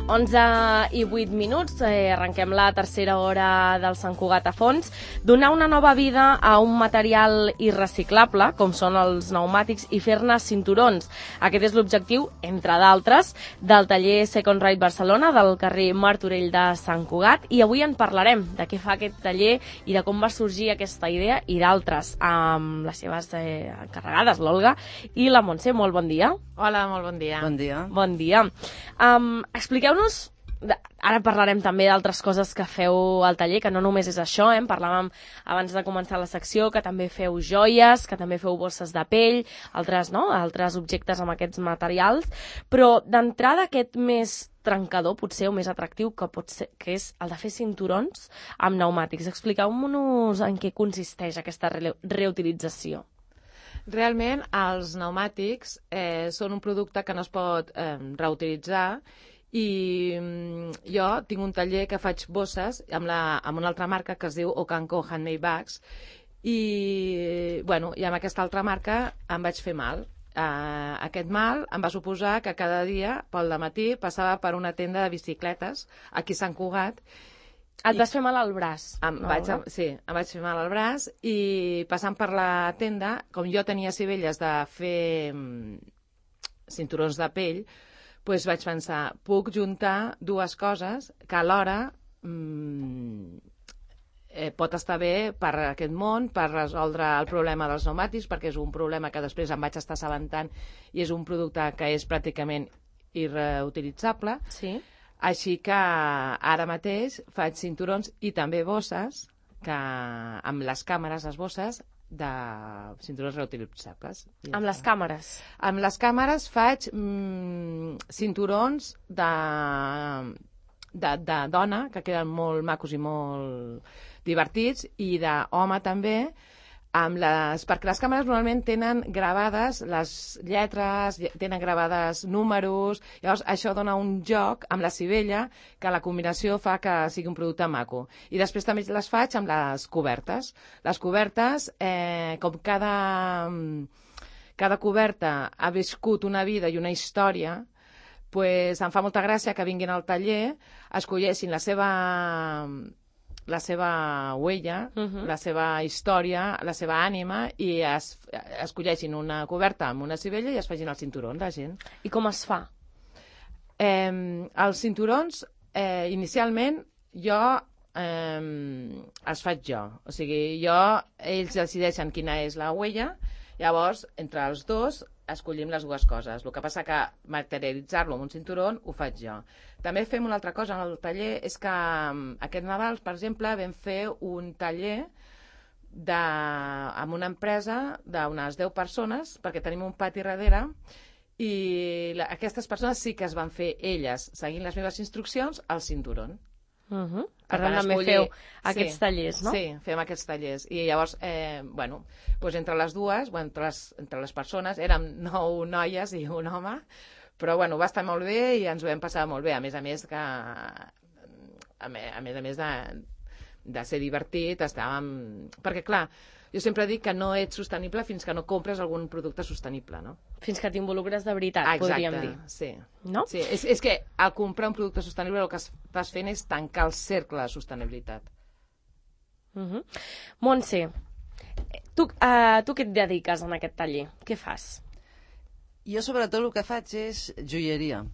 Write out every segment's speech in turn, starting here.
11:08, arrenquem la tercera hora del Sant Cugat a fons. Donar una nova vida a un material irreciclable, com són els pneumàtics, i fer-ne cinturons. Aquest és l'objectiu, entre d'altres, del taller Second Ride Barcelona, del carrer Martorell de Sant Cugat, i avui en parlarem de què fa aquest taller i de com va sorgir aquesta idea i d'altres, amb les seves encarregades, l'Olga i la Montse. Molt bon dia. Hola, molt bon dia. Bon dia. Bon dia. Expliqueu-nos, ara parlarem també d'altres coses que feu al taller, que no només és això, en parlàvem abans de començar la secció, que també feu joies, que també feu bosses de pell, altres objectes amb aquests materials, però d'entrada aquest més trencador, potser, o més atractiu, que és el de fer cinturons amb pneumàtics. Expliqueu-nos en què consisteix aquesta reutilització. Realment, els pneumàtics són un producte que no es pot reutilitzar, i jo tinc un taller que faig bosses amb una altra marca que es diu Okanko Handmade Bags, i amb aquesta altra marca em vaig fer mal. Aquest mal em va suposar que cada dia, pel dematí, passava per una tenda de bicicletes aquí a Sant Cugat. Et vas fer mal al braç? Em vaig fer mal al braç, i passant per la tenda, com jo tenia sivelles de fer cinturons de pell, doncs vaig pensar, puc juntar dues coses que alhora pot estar bé per aquest món, per resoldre el problema dels pneumàtics, perquè és un problema que després em vaig estar assabentant i és un producte que és pràcticament irreutilitzable. Sí. Així que ara mateix faig cinturons i també bosses, que amb les càmeres, les bosses, de cinturons reutilitzables. Amb les càmeres? Amb les càmeres faig cinturons de dona, que queden molt macos i molt divertits, i d'home també, perquè les càmeres normalment tenen gravades les lletres, tenen gravades números, llavors això dona un joc amb la sivella que la combinació fa que sigui un producte maco. I després també les faig amb les cobertes. Les cobertes, com cada coberta ha viscut una vida i una història, doncs em fa molta gràcia que vinguin al taller, escolleixin la seva huella, la seva història, la seva ànima, i escolleixin una coberta amb una sivella i es facin el cinturó, la gent. I com es fa? Els cinturons, inicialment, els faig jo. O sigui, ells decideixen quina és la huella, llavors, entre els dos, escollim les dues coses. El que passa que materialitzar-lo en un cinturó ho faig jo. També fem una altra cosa en el taller, és que aquest Nadal, per exemple, vam fer un taller amb una empresa d'unes 10 persones, perquè tenim un pati darrere, i aquestes persones sí que es van fer elles, seguint les meves instruccions, el cinturó. Per tant, també feu aquests tallers, no? Sí, fem aquests tallers. I llavors, entre les dues, entre les persones, érem 9 noies i un home, però va estar molt bé i ens ho vam passar molt bé. A més de ser divertit, estàvem... Perquè, clar, jo sempre dic que no ets sostenible fins que no compres algun producte sostenible, no? Fins que t'involucres de veritat, podríem dir. Sí. No? Sí, és que al comprar un producte sostenible el que estàs fent és tancar el cercle de sostenibilitat. Montse, tu què et dediques en aquest taller? Què fas? Jo sobretot el que faig és joieria.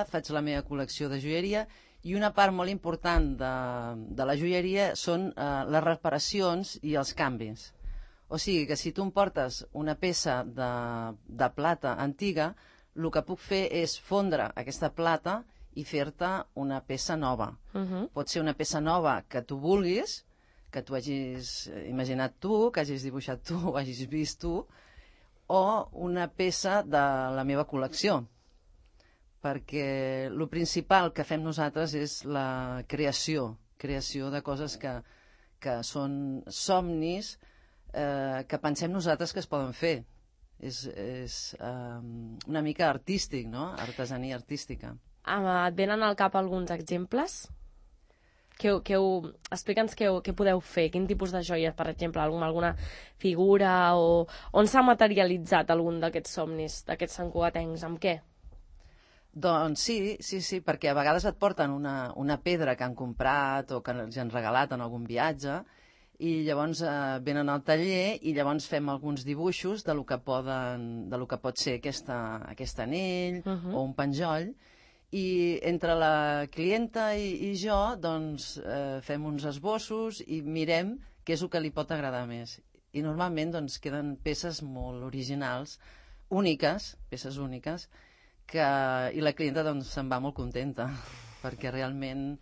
Faig la meva col·lecció de joieria, i una part molt important de la joieria són les reparacions i els canvis. O sigui que si tu em portes una peça de plata antiga, el que puc fer és fondre aquesta plata i fer-te una peça nova. Pot ser una peça nova que tu vulguis, que tu hagis imaginat tu, que hagis dibuixat tu o hagis vist tu, o una peça de la meva col·lecció. Perquè el principal que fem nosaltres és la creació de coses que són somnis que pensem nosaltres que es poden fer. És una mica artístic, no? Artesania artística. Et venen al cap alguns exemples? Explica'ns què podeu fer, quin tipus de joies, per exemple, alguna figura, o on s'ha materialitzat algun d'aquests somnis, d'aquests santcugatencs, amb què? Doncs sí, perquè a vegades et porten una pedra que han comprat o que els han regalat en algun viatge i llavors venen al taller i llavors fem alguns dibuixos de lo que pot ser aquest anell o un penjoll, i entre la clienta i jo doncs fem uns esbossos i mirem què és el que li pot agradar més. I normalment doncs queden peces molt originals, peces úniques, i la clienta doncs se'n va molt contenta perquè realment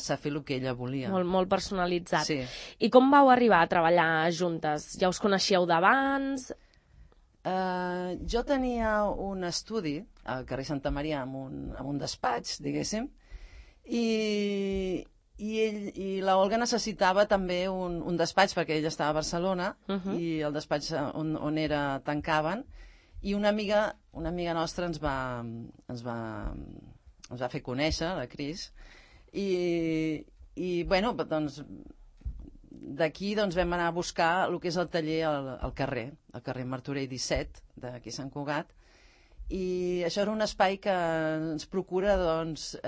sap fer el que ella volia. Molt personalitzat. Sí. I com vau arribar a treballar juntes? Ja us coneixíeu d'abans? Jo tenia un estudi al carrer Santa Maria amb un despatx, diguéssim, i la Olga necessitava també un despatx perquè ella estava a Barcelona i el despatx on era tancaven, i una amiga nostra ens va fer conèixer, la Cris, i bueno, doncs d'aquí doncs, vam anar a buscar el que és el taller al carrer Martorell 17, d'aquí a Sant Cugat, i això era un espai que ens procura doncs,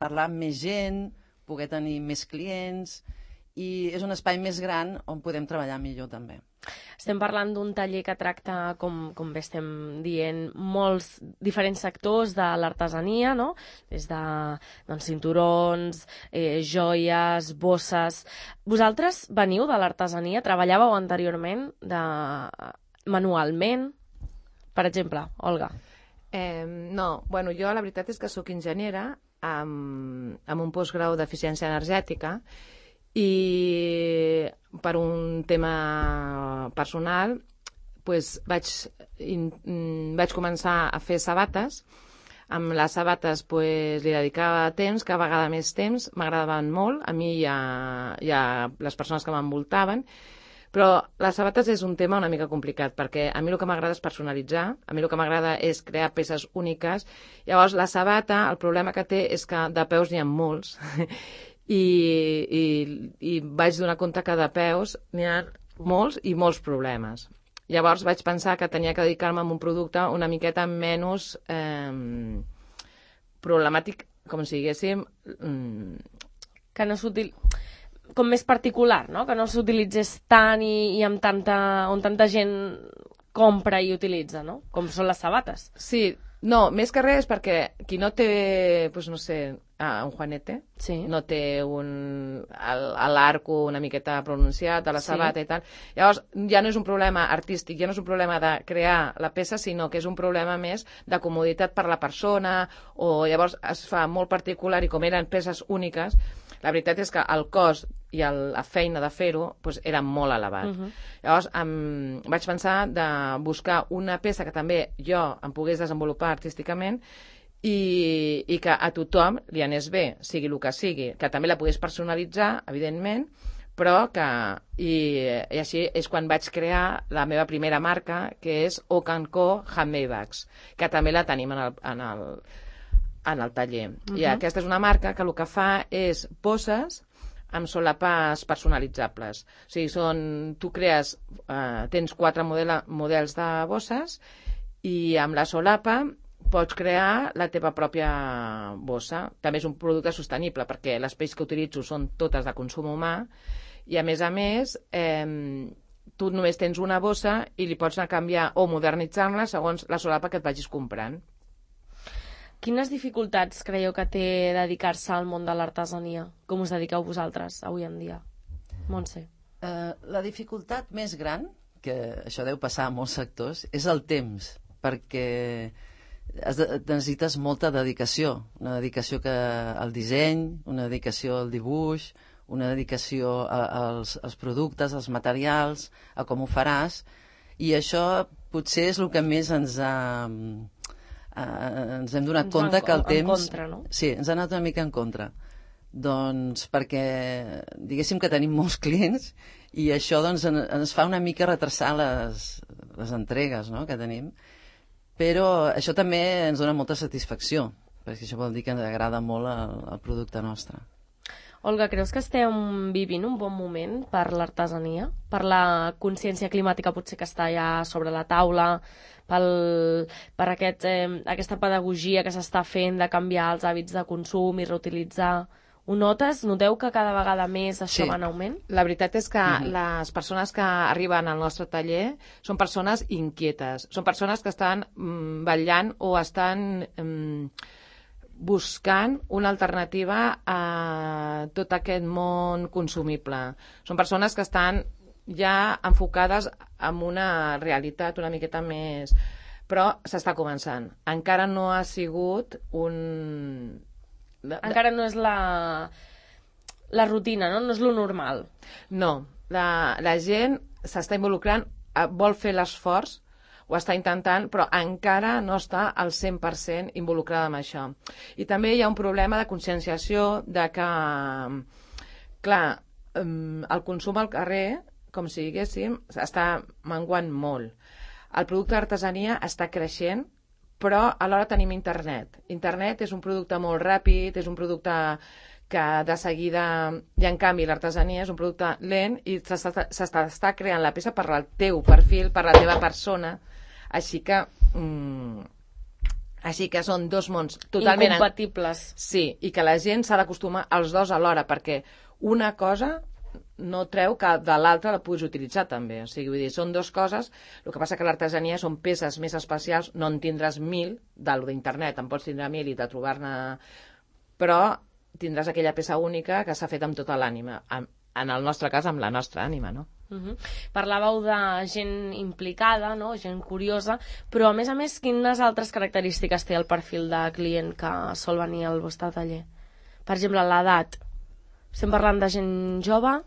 parlar amb més gent, poder tenir més clients, i és un espai més gran on podem treballar millor també. Estem parlant d'un taller que tracta, com bé estem dient, molts diferents sectors de l'artesania, no? Des de cinturons, joies, bosses... Vosaltres veniu de l'artesania? Treballàveu anteriorment manualment? Per exemple, Olga. No, bueno, jo la veritat és que sóc enginyera amb un postgrau d'eficiència energètica, i per un tema personal vaig començar a fer sabates. Amb les sabates li dedicava temps, cada vegada més temps, m'agradaven molt a mi i a les persones que m'envoltaven, però les sabates és un tema una mica complicat, perquè a mi el que m'agrada és personalitzar, a mi el que m'agrada és crear peces úniques. Llavors la sabata, el problema que té és que de peus n'hi ha molts i vaig donar compte que de peus n'hi ha molts i molts problemes. Llavors vaig pensar que tenia que dedicar-me a un producte una miqueta menys problemàtic, com si diguéssim... Que no com més particular, no? Que no s'utilitzés tant i on tanta gent compra i utilitza, no? Com són les sabates. Sí, no, més que res perquè qui no té, doncs no sé, un juanete, sí, no té l'arco una miqueta pronunciat de la sabata i tal. Llavors ja no és un problema artístic, ja no és un problema de crear la peça, sinó que és un problema més de comoditat per la persona, o llavors es fa molt particular, i com eren peces úniques, la veritat és que el cost i la feina de fer-ho era molt elevat. Llavors vaig pensar de buscar una peça que també jo em pogués desenvolupar artísticament i que a tothom li anés bé, sigui el que sigui, que també la pogués personalitzar, evidentment, però que... I així és quan vaig crear la meva primera marca, que és Oak & Co Handmade Bags, que també la tenim en el taller. I aquesta és una marca que el que fa és bosses amb solapes personalitzables. O sigui, tu crees, tens 4 models de bosses i amb la solapa pots crear la teva pròpia bossa. També és un producte sostenible perquè les pells que utilitzo són totes de consum humà i, a més, tu només tens una bossa i li pots anar a canviar o modernitzar-la segons la solapa que et vagis comprant. Quines dificultats creieu que té dedicar-se al món de l'artesania? Com us dediqueu vosaltres avui en dia? Montse. La dificultat més gran, que això deu passar a molts sectors, és el temps, perquè necessites molta dedicació. Una dedicació al disseny, una dedicació al dibuix, una dedicació als productes, als materials, a com ho faràs, i això potser és el que més ens hem donat compte que el temps... En contra, no? Sí, ens ha anat una mica en contra. Doncs perquè, diguéssim que tenim molts clients i això doncs, ens fa una mica retrasar les entregues, no?, que tenim. Però això també ens dona molta satisfacció, perquè això vol dir que ens agrada molt el producte nostre. Olga, creus que estem vivint un bon moment per l'artesania? Per la consciència climàtica potser que està ja sobre la taula, per aquesta pedagogia que s'està fent de canviar els hàbits de consum i reutilitzar? Ho notes? Noteu que cada vegada més això va en augment? La veritat és que les persones que arriben al nostre taller són persones inquietes, són persones que estan vetllant o estan buscant una alternativa a tot aquest món consumible. Són persones que estan ja enfocades en una realitat una miqueta més... Però s'està començant. Encara no ha sigut un... Encara no és la rutina, no? No és lo normal. No. La gent s'està involucrant, vol fer l'esforç, ho està intentant, però encara no està al 100% involucrada en això. I també hi ha un problema de conscienciació de que, clar, el consum al carrer, com si diguéssim, està menguant molt. El producte d'artesania està creixent, però alhora tenim internet. Internet és un producte molt ràpid, és un producte que de seguida... I en canvi l'artesania és un producte lent i s'està creant la peça per al teu perfil, per la teva persona. Així que són dos mons totalment... Incompatibles. Sí, i que la gent s'ha d'acostumar als dos alhora, perquè una cosa no treu que de l'altra la puguis utilitzar també. O sigui, vull dir, són dues coses. El que passa que l'artesania són peces més especials, no en tindràs 1.000 d'internet, en pots tindre 1.000 i de trobar-ne... Però tindràs aquella peça única que s'ha fet amb tota l'ànima. En el nostre cas, amb la nostra ànima, no? Parlàveu de gent implicada, no? Gent curiosa, però a més, quines altres característiques té el perfil de client que sol venir al vostre taller? Per exemple, l'edat. Estem parlant de gent jove?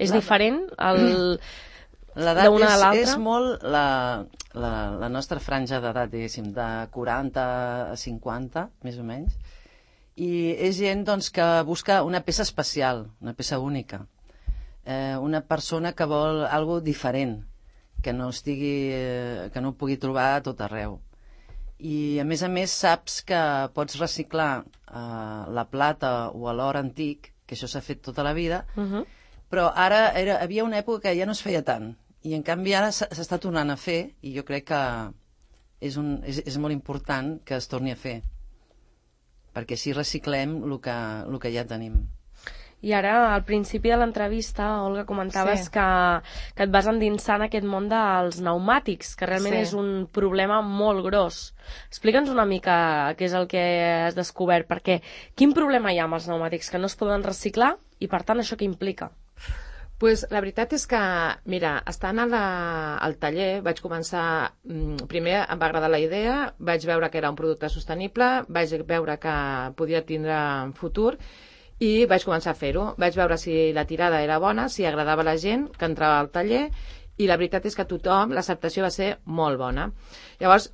És diferent l'edat d'una a l'altra? És molt la nostra franja d'edat, diguéssim, de 40 a 50, més o menys, i és gent doncs, que busca una peça especial, una peça única. Una persona que vol algo diferent, que no ho pugui trobar a tot arreu. I a més saps que pots reciclar la plata o l'or antic, que això s'ha fet tota la vida, però ara havia una època que ja no es feia tant, i en canvi ara s'està tornant a fer, i jo crec que és molt important que es torni a fer, perquè així reciclem el que ja tenim. I ara, al principi de l'entrevista, Olga, comentaves que et vas endinsar en aquest món dels pneumàtics, que realment és un problema molt gros. Explica'ns una mica què és el que has descobert, perquè quin problema hi ha amb els pneumàtics que no es poden reciclar i, per tant, això què implica? Pues la veritat és que, mira, estant al taller vaig començar... Primer em va agradar la idea, vaig veure que era un producte sostenible, vaig veure que podia tindre futur i vaig començar a fer-ho. Vaig veure si la tirada era bona, si agradava a la gent que entrava al taller, i la veritat és que tothom, l'acceptació va ser molt bona. Llavors,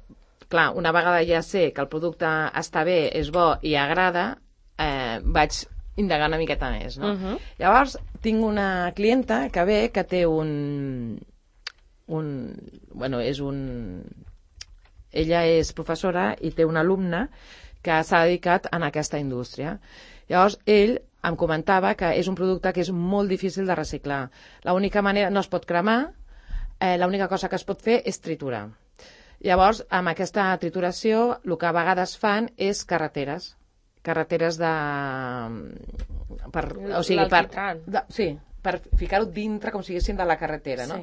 clar, una vegada ja sé que el producte està bé, és bo i agrada, vaig indagar una miqueta més, no? Llavors, tinc una clienta que ve que té ella és professora i té una alumna que s'ha dedicat a aquesta indústria. Llavors, ell em comentava que és un producte que és molt difícil de reciclar. L'única manera, no es pot cremar, l'única cosa que es pot fer és triturar. Llavors, amb aquesta trituració, el que a vegades fan és carreteres de... per ficar-ho dintre, com si diguéssim, de la carretera, no?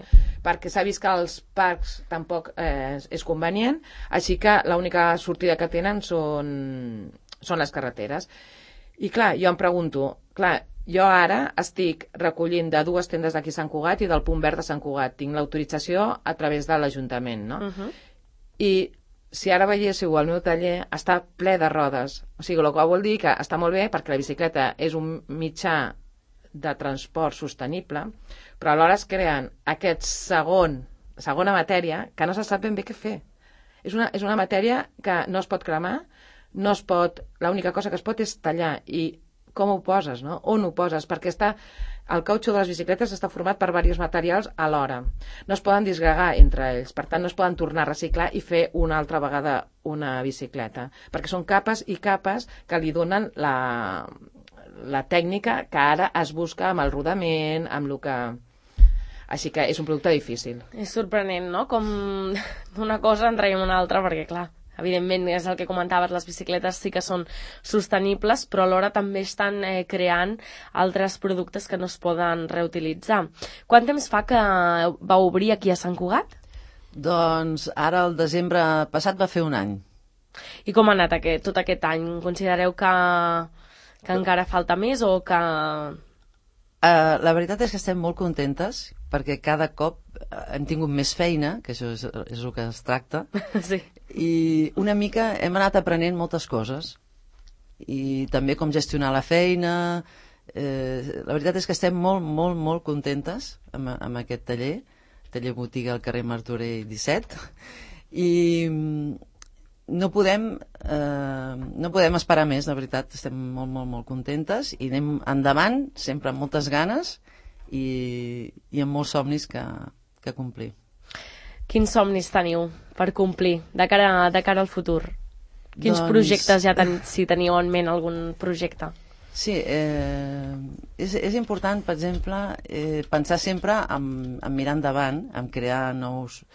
Perquè s'ha vist que als parcs tampoc és convenient, així que l'única sortida que tenen són les carreteres. I clar, jo em pregunto, jo ara estic recollint de 2 tendes d'aquí a Sant Cugat i del Punt Verd de Sant Cugat. Tinc l'autorització a través de l'Ajuntament, no? I si ara veiéssiu el meu taller, està ple de rodes. O sigui, el que vol dir que està molt bé perquè la bicicleta és un mitjà de transport sostenible, però alhora es creen aquest segona matèria que no se sap ben bé què fer. És una matèria que no es pot cremar, l'única cosa que es pot és tallar. I com ho poses, no? On ho poses? Perquè el cautxú de les bicicletes està format per diversos materials alhora. No es poden disgregar entre ells, per tant no es poden tornar a reciclar i fer una altra vegada una bicicleta, perquè són capes i capes que li donen la tècnica que ara es busca amb el rodament, amb el que... Així que és un producte difícil. És sorprenent, no? Com d'una cosa en traiem una altra, perquè, clar, evidentment, és el que comentaves, les bicicletes sí que són sostenibles, però alhora també estan creant altres productes que no es poden reutilitzar. Quant temps fa que va obrir aquí a Sant Cugat? Doncs ara el desembre passat va fer un any. I com ha anat tot aquest any? Considereu que encara falta més o que... La veritat és que estem molt contentes perquè cada cop hem tingut més feina, que això és el que es tracta, sí. I una mica hem anat aprenent moltes coses i també com gestionar la feina. La veritat és que estem molt, molt, molt contentes amb aquest taller botiga al carrer Martorell 17, i no podem esperar més, la veritat. Estem molt, molt, molt contentes i anem endavant, sempre amb moltes ganes i amb molts somnis que complir. Quins somnis teniu per complir de cara al futur? Quins projectes si teniu en ment algun projecte? Sí, és important, per exemple, pensar sempre en mirar endavant, en crear nous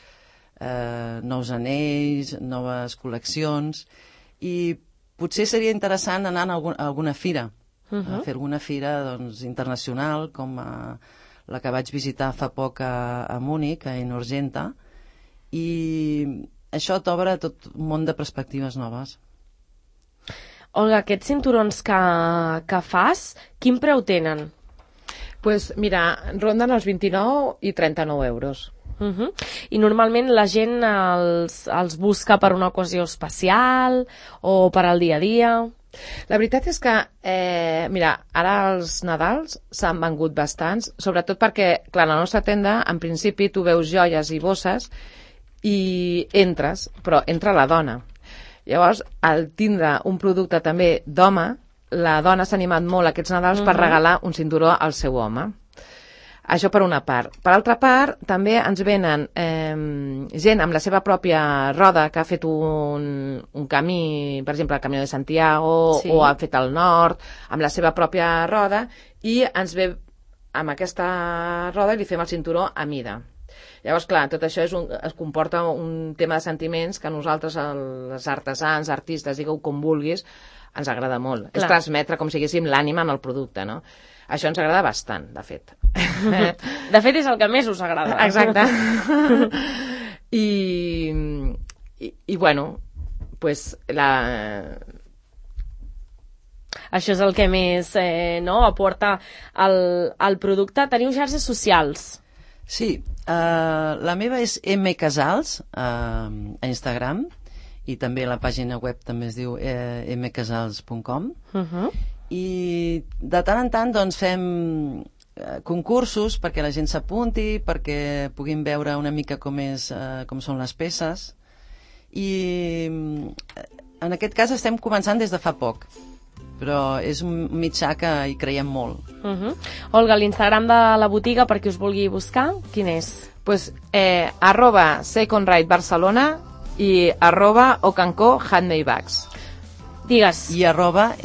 anells, noves col·leccions, i potser seria interessant anar a alguna fira, a fer alguna fira internacional, com la que vaig visitar fa poc a Múnich, a Inorgenta, i això t'obre tot un món de perspectives noves. Olga, aquests cinturons que fas, quin preu tenen? Pues mira, ronden els 29 i 39 euros. I normalment la gent els busca per una ocasió especial o per al dia a dia? La veritat és que, mira, ara els Nadals s'han vengut bastants, sobretot perquè, clar, a la nostra tenda, en principi, tu veus joies i bosses i entres, però entra la dona. Llavors, al tindre un producte també d'home, la dona s'ha animat molt aquests Nadals per regalar un cinturó al seu home. Això per una part. Per altra part, també ens venen gent amb la seva pròpia roda que ha fet un camí, per exemple, el Camí de Santiago, sí, o ha fet el nord, amb la seva pròpia roda, i ens ve amb aquesta roda i li fem el cinturó a mida. Llavors, clar, tot això es comporta un tema de sentiments que a nosaltres, els artesans, artistes, digueu com vulguis, ens agrada molt. Clar. És transmetre com si haguéssim l'ànima en el producte, no? Això ens agrada bastant, de fet. De fet, és el que més us agrada. Exacte. I bueno, pues Això és el que més aporta al producte. Teniu xarxes socials? Sí, la meva és mcasals a Instagram, i també la pàgina web també es diu mcasals.com. I de tant en tant doncs fem concursos perquè la gent s'apunti, perquè puguin veure una mica com són les peces, i en aquest cas estem començant des de fa poc, però és un mitjà que hi creiem molt. Olga, l'Instagram de la botiga, per qui us vulgui buscar, quin és? Pues @secondride Barcelona i @ocanco handmade bags. Digues. I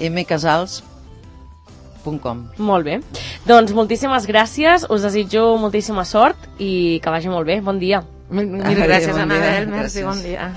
@mcasals.com. Molt bé. Doncs moltíssimes gràcies, us desitjo moltíssima sort i que vagi molt bé. Bon dia. Mil gràcies, Anabel. Merci, bon dia.